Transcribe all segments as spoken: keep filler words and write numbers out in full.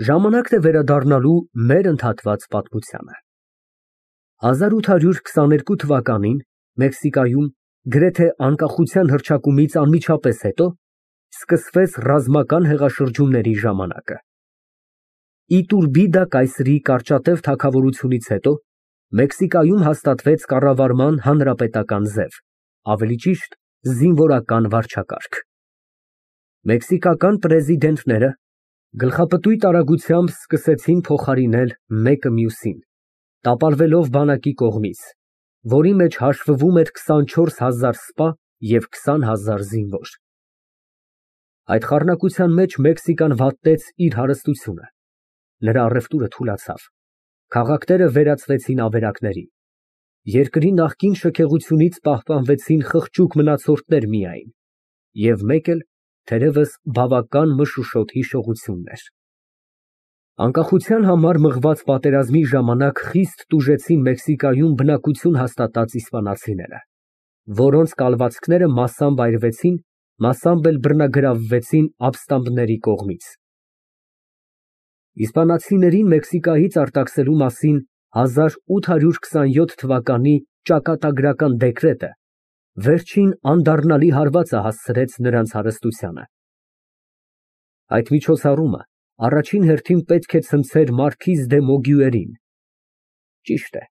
Ժամանակն է վերադառնալու մեր ընդհատված պատմությանը։ հազար ութ հարյուր քսաներկու թվականին Մեքսիկայում, գրեթե անկախության հռչակումից անմիջապես հետո, սկսվեց ռազմական հեղաշրջումների ժամանակը։ Իտուրբիդա կայսրի կարճատև թագավորությունից հետո Մեքսիկայում հաստատվեց կառավարման հանրապետական ձև, ավելի ճիշտ զինվորական վարչակարգ։ Մեքսիկական պրեզիդենտները գլխապտույտ արագությամբ սկսեցին փոխարինել մեկը մյուսին, տապալվելով բանակի կողմից, որի մեջ հաշվվում էր քսանչորս հազար սպա և քսան հազար զինվոր։ Այդ խառնակության մեջ Մեքսիկան վատտեց իր հարստությունը, նրա առևտուրը թուլացավ, քաղաքները վերածվեցին ավերակների, երկրի նախկին շքեղությունից պահպանվեցին խղճուկ մնացորդներ միայն, և մեկ էլ, թերևս, բավական մշուշոտ հիշողություններ։ Անկախության համար մղված պատերազմի ժամանակ խիստ տուժեցին Մեքսիկայում բնակություն հաստատած իսպանացիները, որոնց կալվածքները մասամբ այրվեցին, մասամբ էլ բռնագրավվեցին ապստամբների կողմից։ Իսպանացիներին Մեքսիկայից արտաքսելու մասին հազար ութ հարյուր քսանյոթ թվականի ճակատագրական դեկրետը վերջին անդառնալի հարվածը հասցրեց նրանց հարստությանը։ Այդ միջոցառումը առաջին հերթին պետք է ցնցեր մարքիզ դե Մոգյուերին։ Ճիշտ է,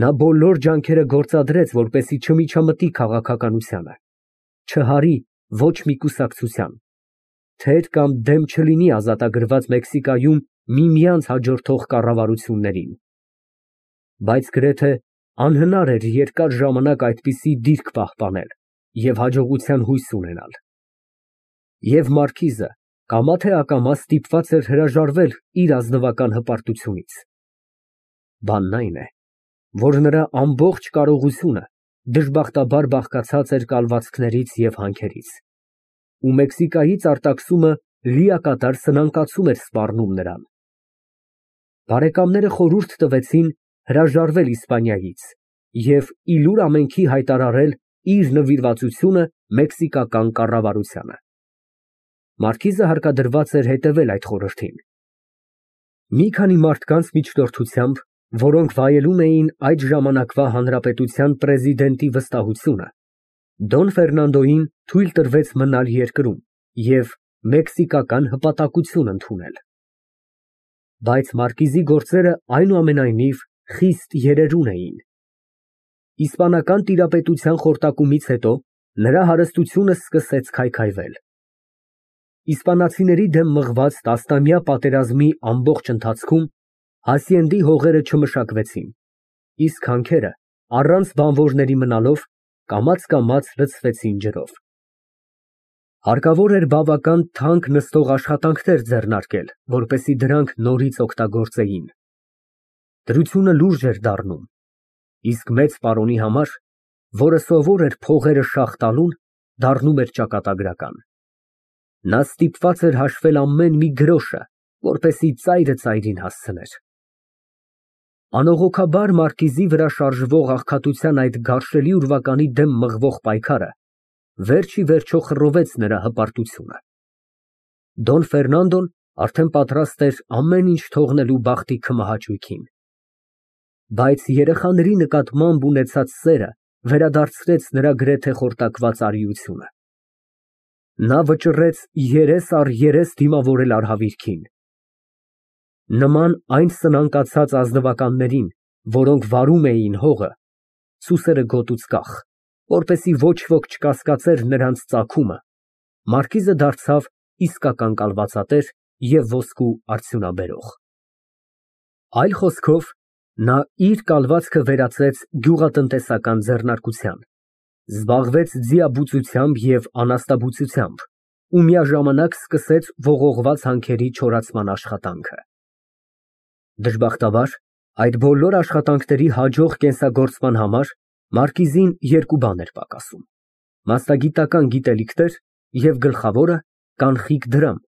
նա բոլոր ջանքերը գործադրեց, որպեսզի չմիջամտի քաղաքականությանը, չհարի ոչ մի կուսակցության, թեր կամ դեմ չլինի ազատագրված Մեքսիկայում միմյանց հաջորդող կառավարություններին։ Բայց գրեթե անհնար էր երկար ժամանակ այդպիսի դիրք պահպանել և հաջողության հույս ունենալ։ Եվ մարքիզը կամա թե ակամա ստիպված էր հրաժարվել իր ազնվական հպարտությունից։ Բանն այն է, որ նրա ամբողջ կարողությունը դժբախտաբար բաղկացած էր կալվածքներից և հանքերից, ու Մեքսիկայից արտաքսումը լիակատար սնանկացում էր սպառնում նրան։ Բարեկամները խորհուրդ տվեցին հրաժարվել Իսպանիայից և ի լուր ամենքի հայտարարել իր նվիրվածությունը մեքսիկական կառավարությանը։ Մարքիզը հարկադրված էր հետևել այդ խորհրդին։ Մի քանի մարդկանց միջնորդությամբ, որոնք վայելում էին այդ ժամանակվա հանրապետության պրեզիդենտի վստահությունը, Դոն Ֆերնանդոյին թույլ տրվեց մնալ երկրում և մեքսիկական հպատակություն ընդունել։ Բայց մարկիզի գործերը այնուամենայնիվ խիստ երերուն էին։ Իսպանական տիրապետության խորտակումից հետո նրա հարստությունը սկսեց քայքայվել։ Իսպանացիների դեմ մղված տասնամյա պատերազմի ամբողջ ընթացքում Հասիենդի հողերը չմշակվեցին, իսկ հանքերը, առանց բանվորների մնալով, կամաց֊կամաց լցվեցին ջրով։ Հարկավոր էր բավական թանկ նստող աշխատանքներ ձեռնարկել, որպեսզի դրանք նորից օգտագործեին։ Դրությունը լուրջ էր դառնում, իսկ մեծ պարոնի համար, որը սովոր էր փողերը շաղ տալուն, դառնում էր ճակատագրական։ Նա ստիպված էր հաշվել ամեն մի գրոշը, որպեսզի ծայրը ծայրին հասցներ։ Անողոքաբար մարկիզի վրա շարժվող աղքատության այդ գարշելի ուրվականի դեմ մղվող պայքարը վերջ ի վերջո խռովեց նրա հպարտությունը։ Դոն Ֆերնանդոն արդեն պատրաստ էր ամեն ինչ թողնելու բախտի քմահաճույքին։ Բայց երեխաների նկատմամբ ունեցած սերը վերադարձրեց նրա գրեթե խորտակված արիությունը։ Նա վճռեց երես առ երես դիմավորել արհավիրքին։ Նման այն սնանկացած ազնվականներին, որոնք վարում էին հողը, սուսերը գոտուց կախ, որպեսզի ոչ ոք չկասկածեր նրանց ծագումը, մարկիզը դարձավ իսկական կալվածատեր և ոսկու արդյունաբերող։ Այլ խոսքով, նա իր կալվածքը վերածեց գյուղատնտեսական ձեռնարկության, զբաղվեց ձիաբուծությամբ և անասնաբուծությամբ ու միաժամանակ սկսեց ողողված հանքերի չորացման աշխատանքը։ Դժբախտաբար, այդ բոլոր աշխատանքների հաջող կենսագործման համար մարկիզին երկու բան էր պակասում՝ մասնագիտական գիտելիքներ և գլխավորը՝ կանխիկ դրամ,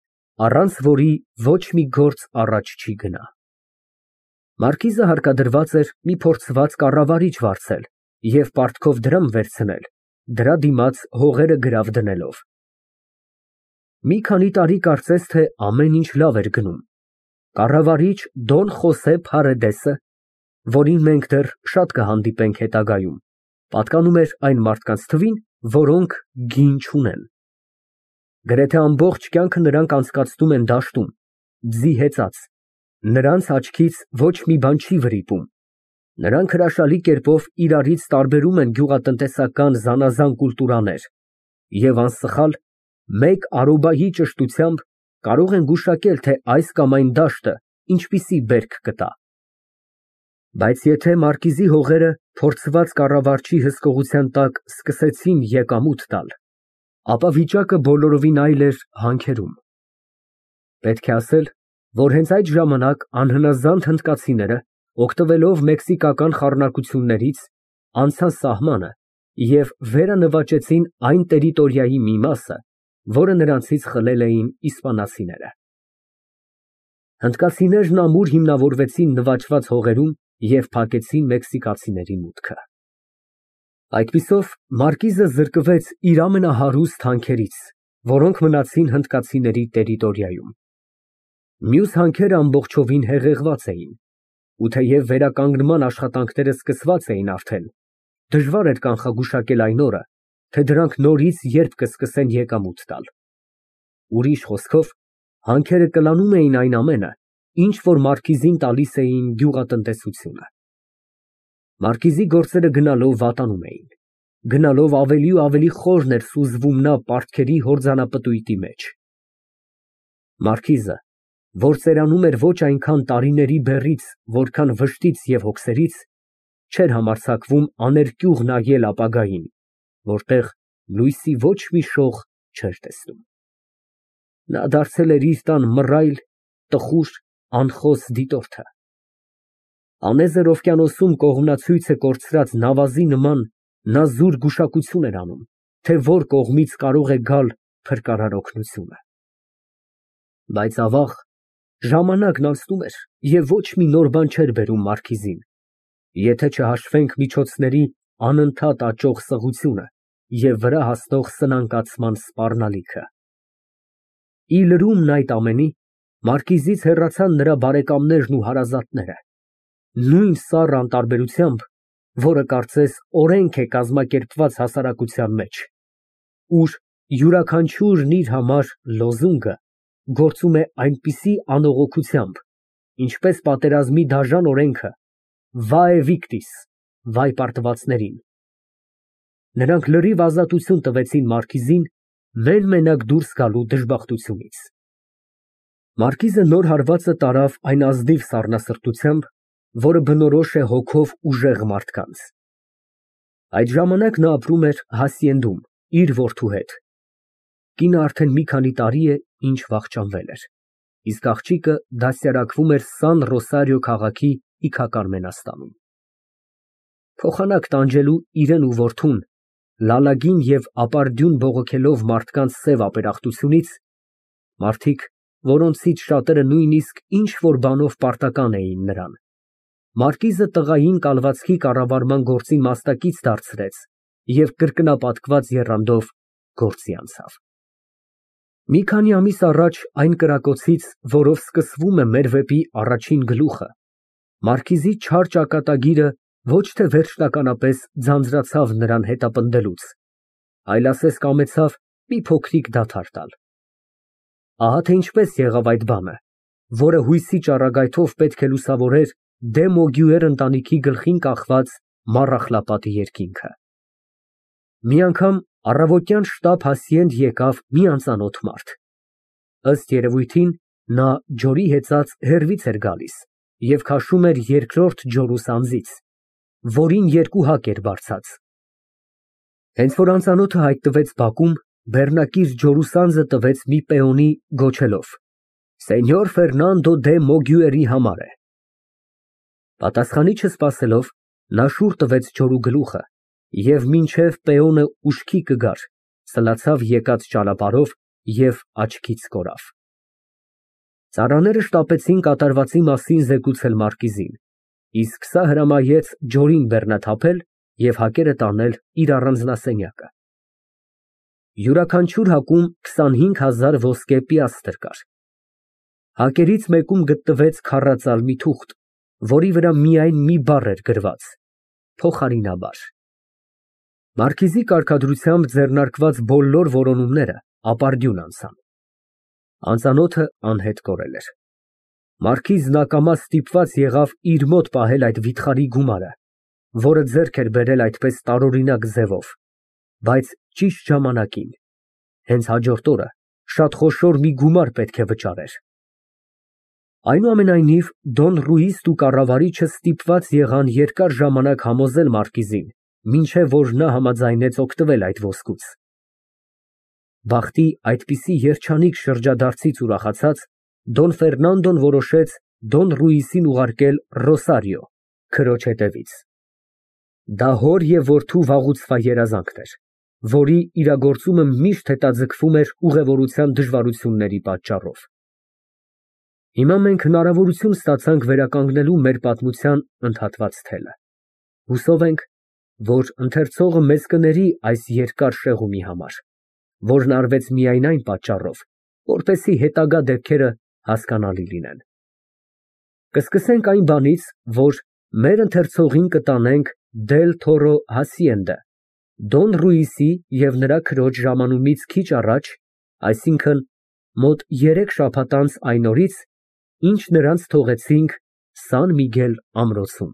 առանց որի ոչ մի գործ առաջ չի գնա։ Մարկիզը հարկադրված էր մի փորձված կառավարիչ վարձել և պարտքով դրամ վերցնել, դրա դիմաց հողերը գրավ դնելով։ Մի քանի տարի կարծես թե ամեն ինչ լավ էր գնում, Կառավարիչ Դոն Խոսե Փարեդեսը, որին մենք դեռ շատ կհանդիպենք հետագայում, պատկանում էր այն մարդկանց թվին, որոնք գին չունեն։ Գրեթե ամբողջ կյանքը նրանք անցկացնում են դաշտում, ձի հեծած, նրանց աչքից ոչ մի բան չի վրիպում, նրանք հրաշալի կերպով իրարից տարբերում են գյուղատնտեսական զանազան կուլտուրաներ և անսխալ մեկ արոբայի ճշտությամբ կարող են գուշակել, թե այս կամ այն դաշտը ինչպիսի բերք կտա։ Բայց եթե մարկիզի հողերը փորձված կառավարչի հսկողության տակ սկսեցին եկամուտ տալ, ապա վիճակը բոլորովին այլ էր հանքերում։ Պետք է ասել, որ հենց այդ ժամանակ անհնազանդ հնդկացիները, օգտվելով մեքսիկական խառնակություններից, անցան սահմանը և վերանվաճեցին այն տերիտորիայի մի մասը, որը նրանցից խլել էին իսպանացիները։ Հնդկացիներն ամուր հիմնավորվեցին նվաճված հողերում և փակեցին մեքսիկացիների մուտքը։ Այդպիսով մարկիզը զրկվեց իր ամենահարուստ հանքերից, որոնք մնացին հնդկացիների տերիտորիայում։ Մյուս հանքերը ամբողջովին հեղեղված էին, ու թեև վերականգնման աշխատանքները սկսված էին արդեն, դժվար էր կանխագուշակել այն օրը, թե դրանք նորից երբ կսկսեն եկամուտ տալ։ Ուրիշ խոսքով, հանքերը կլանում էին այն ամենը, ինչ որ մարկիզին տալիս էին գյուղատնտեսությունը։ Մարկիզի գործերը գնալով վատանում էին, գնալով ավելի ու ավելի խորն էր սուզվում նա պարտքերի հորձանապտույտի մեջ։ Մարկիզը, որ ծերանում էր ոչ այնքան տարիների բեռից, որքան վշտից և հոգսերից, չէր համարձակվում աներկյուղ նայել ապագային, որտեղ լույսի ոչ մի շող չէր տեսնում։ Նա դարձել էր իր տան մռայլ, տխուր, անխոս դիտորդը։ Անեզր օվկիանոսում կողմնացույցը կորցրած նավազի նման նա զուր գուշակություն էր անում, թե որ կողմից կարող է գալ փրկարար օգնությունը։ Բայց ավաղ, ժամանակն անցնում էր և ոչ մի նոր բան չէր բերում մարկիզին, եթե չհաշվենք միջոցների անընդհատ աճող սղությունը և վրա հասնող սնանկացման սպառնալիքը։ Ի լրումն այդ ամենի, մարկիզից հեռացան նրա բարեկամներն ու հարազատները, նույն սառը անտարբերությամբ, որը կարծես օրենք է կազմակերպված հասարակության մեջ, ուր յուրաքանչյուրն իր համար լոզունգը գործում է այնպիսի անողոքությամբ, ինչպես պատերազմի դաժան օրենքը «Vae victis» (վայ պարտվածներին)։ Նրանք լրիվ ազատություն տվեցին մարկիզին մեն֊մենակ դուրս գալու դժբախտությունից։ Մարկիզը նոր հարվածը տարավ այն ազնիվ սառնասրտությամբ, որը բնորոշ է հոգով ուժեղ մարդկանց։ Այդ ժամանակ նա ապրում էր հասիենդում իր որդու հետ։ Կինը արդեն մի քանի տարի է, ինչ վախճանվել էր, իսկ աղջիկը դաստիարակվում էր Սան Ռոսարիո քաղաքի իգական մենաստանում։ Փոխանակ տանջելու իրան ու որդուն, լալագին և ապարդյուն բողոքելով մարդկանց սև ապերախտությունից, մարդիկ, որոնցից շատերը նույնիսկ ինչ֊որ բանով պարտական էին նրան, մարկիզը տղային կալվածքի կառավարման գործի մասնակից դարձրեց և կրկնապատկված եռանդով գործի անցավ։ Մի քանի ամիս առաջ այն կրակոցից, որով սկսվում է մեր վեպի առաջին գլուխը, մարկիզի չար ճակատագիրը ոչ թե վերջնականապես ձանձրացավ նրան հետապնդելուց, այլ ասես կամեցավ մի փոքրիկ դադար տալ։ Ահա թե ինչպես եղավ այդ բանը, որը հույսի ճառագայթով պետք է լուսավորեր Դե Մոգյուեր ընտանիքի գլխին կախված Մառախլապատի երկինքը։ Մի անգամ առավոտյան շտապ հասիենդ եկավ մի անծանոթ մարդ։ Ըստ երևույթին, նա ջորի հեծած հեռվից էր գալիս և քաշում էր երկրորդ ջորուս անձից, որին երկու հակ էր բարձած։ Հենց որ անծանոթը հայտնվեց բակում, բեռնակիր ջորուսանձը տվեց մի պեոնի, գոչելով. «Սենյոր Ֆերնանդո դե Մոգյուերի համար է»։ Պատասխանի չսպասելով, նա շուռ տվեց ջորու գլուխը և մինչև պեոնը ուշքի կգար, սլացավ եկած ճանապարհով և աչքից կորավ։ Ծառաները շտապեցին կատարվածի մասին զեկուցել մարկիզին, իսկ սա հրամայեց ջորին բեռնաթափել և հակերը տանել իր առանձնասենյակը։ Յուրաքանչյուր հակում քսանհինգ հազար ոսկե պիաստրը կար։ Հակերից մեկում գտնվեց քառածալ մի թուղթ, որի վրա միայն մի բառ էր գրված. փոխարինաբար։ Մարքիզի կարգադրությամբ ձեռնարկված բոլոր որոնումները ապարդյուն անցան։ Անծանոթը անհետ կորել էր։ Մարքիզն ակամա ստիպված եղավ իր մոտ պահել այդ վիթխարի գումարը, որը ձեռք էր բերել այդպես տարօրինակ ձևով, բայց ճիշտ ժամանակին, հենց հաջորդ օրը շատ խոշոր մի գումար պետք է վճարեր։ Այնուամենայնիվ, Դոն Ռուիզն ու կառավարիչը ստիպված եղան երկար ժամանակ համոզել մարքիզին, մինչև որ նա համաձայնեց օգտվել այդ ոսկուց։ Բախտի այդպիսի երջանիկ շրջադարձից ուրախացած, Դոն Ֆերնանդոն որոշեց Դոն Ռուիզին ուղարկել Ռոսարիո, քրոջ հետևից։ Դա հոր և որդու վաղուցվա երազանքն էր, որի իրագործումը միշտ հետաձգվում էր ուղևորության դժվարությունների պատճառով։ Հիմա մենք հնարավորություն ստացանք վերականգնելու մեր պատմության ընդհատված թելը։ Հուսով ենք, որ ընթերցողը մեզ կների այս երկար շեղումի համար, որն արվեց միայն այն պատճառով, որպեսզի հետագա դեպքերը հասկանալի լինեն։ Կսկսենք այն բանից, որ մեր ընթերցողին կտանենք Դել Թորո հասիենդա, Դոն Ռուիզի և նրա քրոջ ժամանումից քիչ առաջ, այսինքն մոտ երեք շաբաթ անց այն օրից, ինչ նրանց թողեցինք Սան Միգել ամրոցում։